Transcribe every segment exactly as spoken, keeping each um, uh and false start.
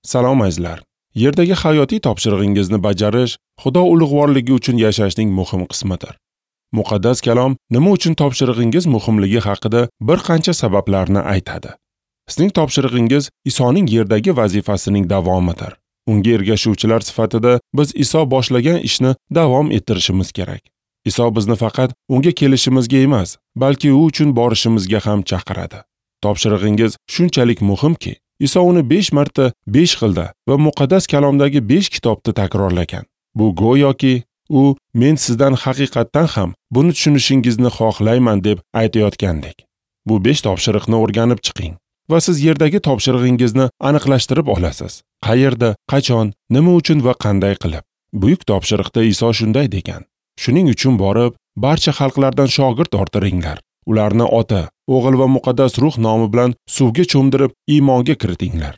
Salom azizlar. Yerdagi hayotiy topshirig'ingizni bajarish Xudo ulug'vorligi uchun yashashning muhim qismidir. Muqaddas kalom nima uchun topshirig'ingiz muhimligi haqida bir qancha sabablarni aytadi. Sizning topshirig'ingiz Isoning yerdagi vazifasining davomidir. Unga ergashuvchilar sifatida biz Iso boshlagan ishni davom ettirishimiz kerak. Iso bizni faqat unga kelishimizga emas, balki u uchun borishimizga ham chaqiradi. Topshirig'ingiz shunchalik muhimki, Iso uni besh marta besh xilda va muqaddas kalomdagi besh kitobda takrorlagan. Bu go'yoki u men sizdan haqiqatdan ham buni tushunishingizni xohlayman deb aytayotgandek. Bu besh topshiriqni o'rganib chiqing va siz yerdagi topshirig'ingizni aniqlashtirib olasiz. Qayerda, qachon, nima uchun va qanday qilib. Buyuk topshiriqda Iso shunday degan: Shuning uchun borib, barcha xalqlardan shogird orttiringlar. Ularni Ota, O'g'il va Muqaddas Ruh nomi bilan suvga cho'mdirib iymonga kiritinglar.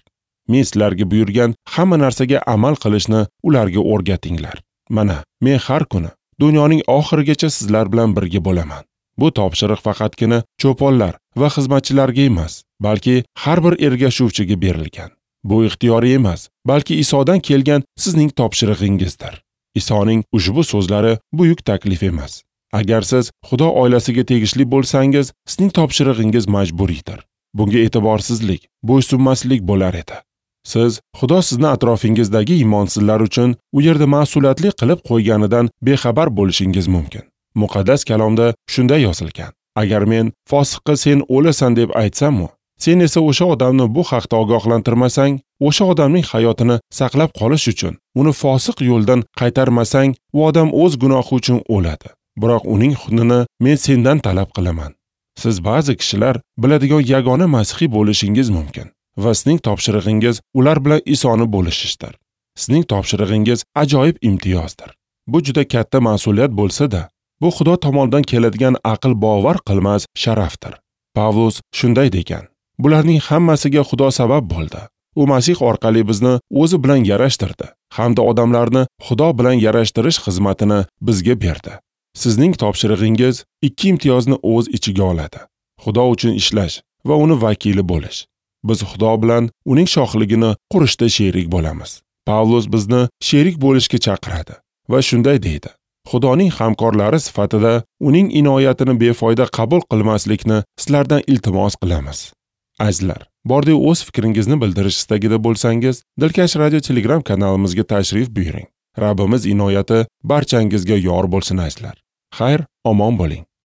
Men sizlarga buyurgan hamma narsaga amal qilishni ularga o'rgatinglar. Mana, men har kuni dunyoning oxirigacha sizlar bilan birga bo'laman. Bu topshiriq faqatgina cho'ponlar va xizmatchilarga emas, balki har bir ergashuvchiga berilgan. Bu ixtiyoriy emas, balki Isodan kelgan sizning topshirig'ingizdir. Isoning ushbu so'zlari buyuk taklif emas. Agar siz Xudo oilasiga tegishli bo'lsangiz, sizning topshirig'ingiz majburiydir. Bunga e'tiborsizlik, bo'ysunmaslik bo'lar edi. Siz Xudo sizni atrofingizdagi iymonsizlar uchun u yerda mas'uliyatli qilib qo'yganidan bexabar bo'lishingiz mumkin. Muqaddas kalomda shunday yozilgan: Agar men fosiqqa sen o'lasan deb aytsam-u, sen esa o'sha odamni bu haqda ogohlantirmasang, o'sha odamning hayotini saqlab qolish uchun uni fosiq yo'ldan qaytarmasang, u odam o'z gunohi uchun o'ladi. Biroq uning xunini men sendan talab qilaman. Siz ba'zi kishilar biladigan yagona masihiy bo'lishingiz mumkin va sizning topshirig'ingiz ular bilan Isoni bo'lishishdir. Sizning topshirig'ingiz ajoyib imtiyozdir. Bu juda katta mas'uliyat bo'lsa-da, bu Xudo tomonidan keladigan aql bovar qilmas sharafdir. Pavlus shunday degan: Bularning hammasiga Xudo sabab bo'ldi. U Masih orqali bizni o'zi bilan yarashtirdi hamda odamlarni Xudo bilan yarashtirish xizmatini bizga berdi. Sizning topshirig'ingiz ikki imtiyozni o'z ichiga oladi: Xudo uchun ishlash va uni vakili bo'lish. Biz Xudo bilan uning shohligini qurishda sherik bo'lamiz. Pavlus bizni sherik bo'lishga chaqiradi va shunday deydi: Xudoning hamkorlari sifatida uning inoyatini befoyda qabul qilmaslikni sizlardan iltimos qilamiz. Azizlar, bordi o'z fikringizni bildirish istagida bo'lsangiz, Dilkash Radio Telegram kanalimizga tashrif buyuring. Rabbimiz inoyati barchangizga yor bo'lsin azizlar. Xayr, omon bo'ling.